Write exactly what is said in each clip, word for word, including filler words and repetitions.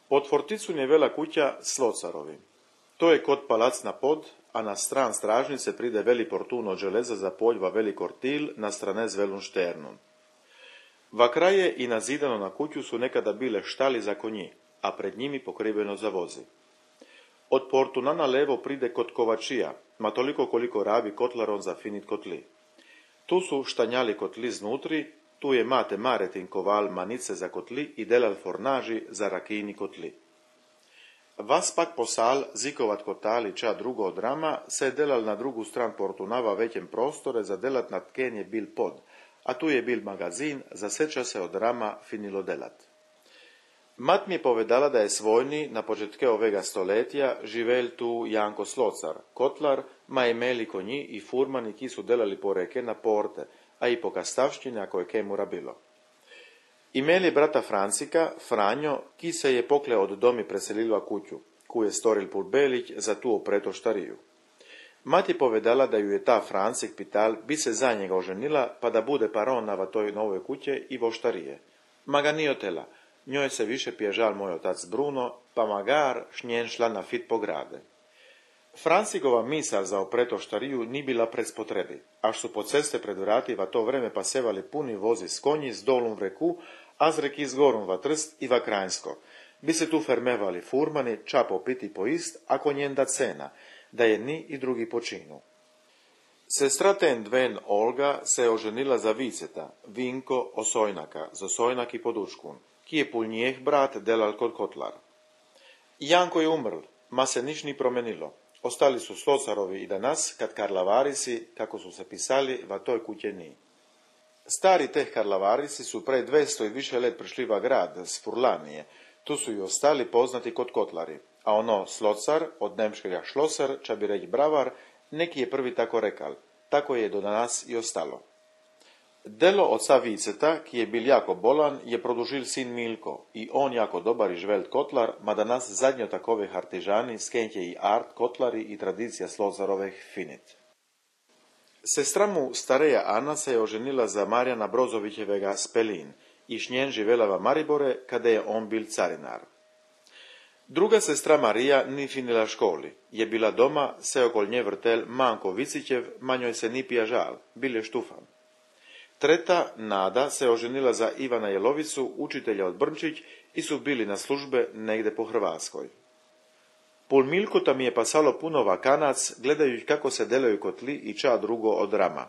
Pod forticun je vela kuća Slocarovi. To je kod palac na pod, a na stran stražnice pride veli portun od železa za poljva veli kortil na strane z velun šternun. Va kraje i nazidano na kuću su nekada bile štali za konji, a pred njimi pokriveno za vozi. Od portuna na levo pride kod kovačija, ma toliko koliko rabi kotlaron za finit kotli. Tu su štanjali kotli znutri, tu je mate maretin koval manice za kotli i delal fornaži za rakijni kotli. Vas pak posal, zikovat kotali ča drugo od rama, se delal na drugu stran portunava većem prostore za delat na tken je bil pod, a tu je bil magazin, za seča se od rama finilo delat. Mat mi je povedala da je svojni, na početke ovega stoletja, živel tu Janko Slocar, kotlar, ma imeli konji i furmani ki su delali po reke na porte, a i po kastavštini ako je kemura bilo. Imeli brata Francika, Franjo, ki se je pokle od domi preselila kuću, ku je storil Pulbelić za tu opreto štariju. Mati povedala da ju je ta Francik pital bi se za njega oženila pa da bude paron na toj novoj kuće i voštarije. Ma ga nije otela, njoj se više pježal moj otac Bruno, pa magar šnjen šla na fit po grade. Francikova misal za opreto štariju ni bila pred spotrebi, až su po ceste pred vrati va to vreme pasevali puni vozi s konji s dolum v reku, a z reki s gorum va Trst i va Krajnsko. Bi se tu fermevali furmani, ča popiti po ist, ako njenda cena, da je ni i drugi počinu. Sestra ten dven Olga se oženila za viceta, Vinko Osojnaka, z Osojnak i Podučkun, ki je pul njeh brat delal kod kotlar. Janko je umrl, ma se niš ni promenilo. Ostali su Slocarovi i danas, kad Karlavarisi, kako su se pisali, va toj kuće ni. Stari teh Karlavarisi su pre dvesto i više let prišli va grad s Furlanije, tu su i ostali poznati kod kotlari, a ono Slocar, od nemškega šloser, ča bi reći bravar, neki je prvi tako rekal, tako je do danas i ostalo. Delo oca Viceta, ki je bil jako bolan, je produžil sin Milko i on jako dobar i žvelt kotlar, ma danas zadnjo takove artižani skenje i art kotlari i tradicija Slocarovih finit. Sestra mu stareja Ana se je oženila za Marjana Brozovićevega Spelin i šnjen živela va Maribore kada je on bil carinar. Druga sestra Marija ni finila školi, je bila doma, se okol nje vrtel Manko Vicićev, ma njoj se ni pjažal, bil je štufan. Treta, Nada, se oženila za Ivana Jelovicu, učitelja od Brnčić, i su bili na službe negde po Hrvatskoj. Pol Milko tam je pasalo puno vakanac, gledajući kako se delaju kotli i ča drugo od rama.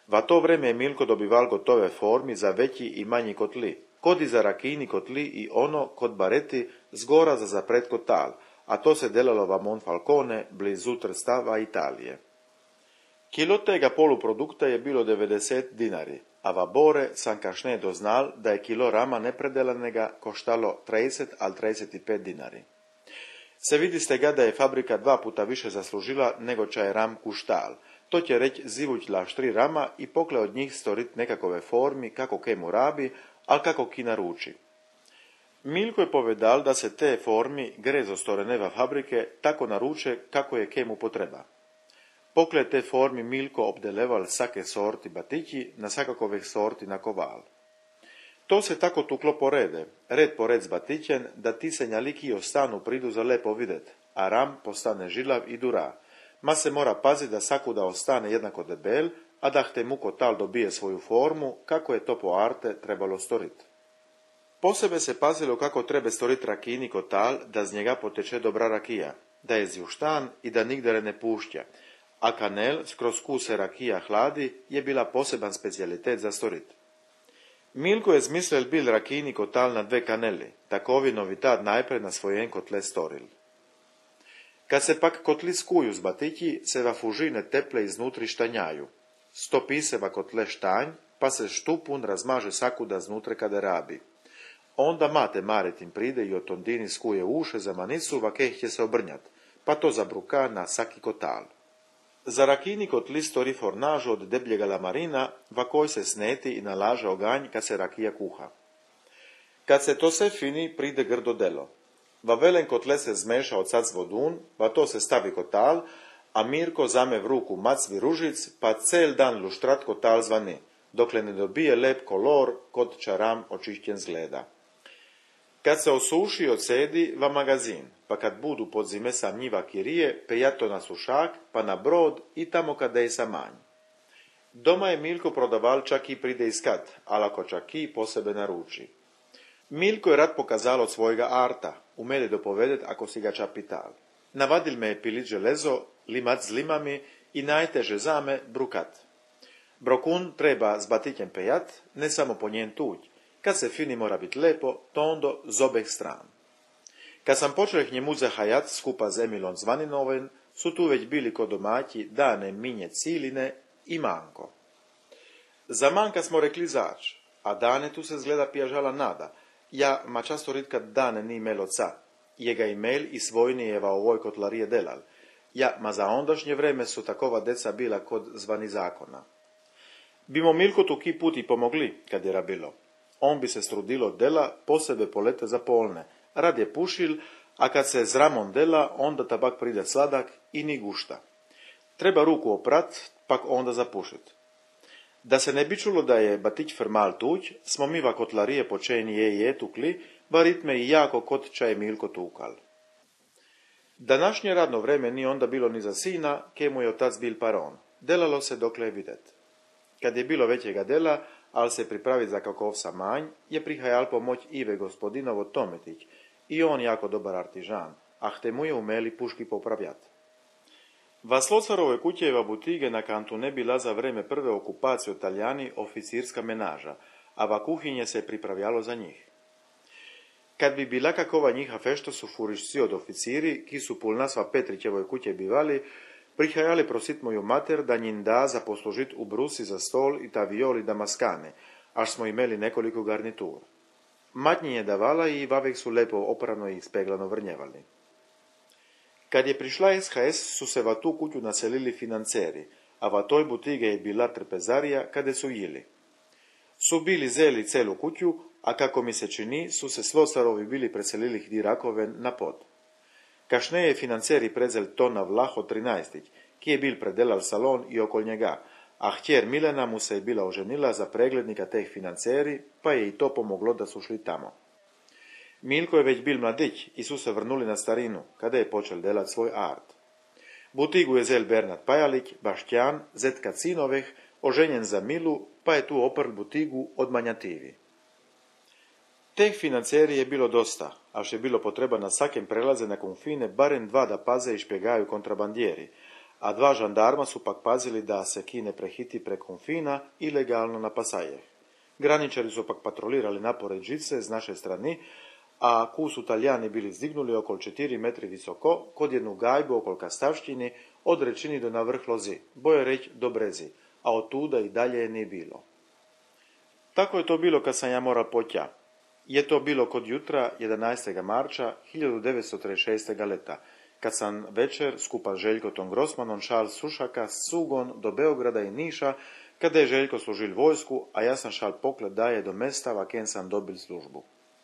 Va to vreme je Milko dobival gotove formi za veći i manji kotli, kod i za rakijni kotli i ono kod bareti zgora za zapret kotal, a to se delalo va Monfalcone, blizu Trstava, Italije. Kilo tega poluprodukta je bilo devedeset dinari, a va Bore sam kašne doznal da je kilo rama nepredelanega koštalo trideset al trideset pet dinari. Se vidi ste ga da je fabrika dva puta više zaslužila nego ča je ram kuštal. To će reć zivućla štri rama i pokle od njih storit nekakove formi kako kemu rabi, al kako ki naruči. Milko je povedal da se te formi grezo storeneva fabrike tako naruče kako je kemu potreba. Pokle te formi Milko obdeleval sake sorti batići na sakakovih sorti na koval. To se tako tuklo porede, red po red zbatićen, da ti se njaliki ostanu pridu za lepo videt, a ram postane žilav i dura, ma se mora paziti da sakuda ostane jednako debel, a da hte mu kotal dobije svoju formu, kako je to po arte trebalo storit. Posebe se pazilo kako treba storit rakijni kotal, da z njega poteče dobra rakija, da je zjuštan i da nigdere ne pušća, a kanel, skroz kuse rakija hladi, je bila poseban specijalitet za storit. Milko je zmislil bil rakijni kotal na dve kaneli, takovi novitad najprej na svojen kotle storil. Kad se pak kotli skuju z batići, se va fužine teple iznutri štanjaju. Stopi se va kotle štanj, pa se štupun razmaže sakuda znutre kada rabi. Onda mate maretim pride i od ondini skuje uše za manicu, va keh će se obrnjat, pa to zabruka na saki kotal. Za rakijni kotli stori fornažu od debljega lamarina, va koj se sneti i nalaže oganj kad se rakija kuha. Kad se to se fini, pride grdo delo. Va velen kotle se zmeša od sac vodun, va to se stavi kotal, a Mirko zame v ruku macvi ružic, pa cel dan luštrat kotal zvani, dokle ne dobije lep kolor, kod čaram očišćen zgleda. Kad se osuši odsedi va magazin, pa kad budu pod zime sam njiva kirije, pe ja to na sušak, pa na brod i tamo kada je sa manj. Doma je Milko prodaval čak i pride iskat, ali ako čak i po sebe naruči. Milko je rad pokazal od svojega arta, umede dopovedet ako si ga čapital. Navadil me je pilit železo, limat z limami i najteže zame brukat. Brokun treba z batićem pejat, ne samo po njen tuđ. Kad se fini mora bit lepo, to ondo z obeh stran. Kad sam počeo k njemu zahajat skupa z Emilom Zvaninoven, su tu već bili kod domaći Dane, Minje, Ciline i Manko. Za Manka smo rekli zač, a Dane tu se zgleda pijažala nada. Ja ma často ritka Dane ni imel oca. Jega imel i svojnijeva ovoj kotlarije delal. Ja ma za ondašnje vreme su takova deca bila kod zvani zakona. Bimo Milko tu ki put i pomogli, kad je rabilo. On bi se strudilo dela, posebe polete za polne. Rad je pušil, a kad se zramon dela, onda tabak pride sladak i ni gušta. Treba ruku oprat, pak onda zapušit. Da se ne bi čulo da je batić fermal tuć, smo miva kotlarije počeni je i je tukli, ba ritme i jako kod čaje Milko tukal. Današnje radno vreme ni onda bilo ni za sina, ke mu je otac bil paron. Delalo se dokle je videt. Kad je bilo većega dela, al se pripravit za kakov samanj, je prihajal pomoć Ive gospodinovo Tometić, i on jako dobar artižan, a te mu je umeli puški popravljat. Va Slocarove kućeva butige na kantu ne bila za vreme prve okupacije Italijani oficirska menaža, a va kuhinje se pripravljalo za njih. Kad bi bila kakova njiha fešto su furišci od oficiri, ki su pul nasva Petrićevoj kuće bivali, prihajali prosit moju mater da njim da za poslužit u brusi za stol i ta violi da maskane, až smo imeli nekoliko garnitur. Matnji je davala i vavek su lepo oprano i speglano vrnjevali. Kad je prišla es ha es, su se va tu kuću naselili financeri, a va toj butige je bila trpezarija kade su jili. Su bili zeli celu kuću, a kako mi se čini, su se Slocarovi bili preselili hdi Rakoven na pod. Kašne je financeri predzel Tona Vlaho trinaestić, ki je bil predelal salon i okol njega, a htjer Milena mu se je bila oženila za preglednika teh financeri, pa je i to pomoglo da su šli tamo. Milko je već bil mladić i su se vrnuli na starinu, kada je počel delat svoj art. Butigu je zel Bernat Pajalić, Baštjan, zetka Cinoveh, oženjen za Milu, pa je tu oprl butigu od manjativi. Teh financeri je bilo dosta, až je bilo potreba na svakem prelaze na konfine barem dva da paze i špjegaju kontrabandijeri, a dva žandarma su pak pazili da se ki ne prehiti pre konfina ilegalno na pasajeh. Graničari su pak patrolirali napored žice z naše strani, a ku su Talijani bili zdignuli okol četiri metri visoko, kod jednu gajbu okol Kastavštini, od rečini do na vrh lozi, boje reć do brezi, a od tuda i dalje je nije bilo. Tako je to bilo kad sam ja moral potja. Je to bilo kod jutra jedanaestog marča hiljadu devetsto trideset šestog leta, kad sam večer skupa s Željkotom Grossmanom šal Sušaka s Sugon do Beograda i Niša, kada je Željko služil vojsku, a ja sam šal poklet daje do mesta, vaken sam dobil službu.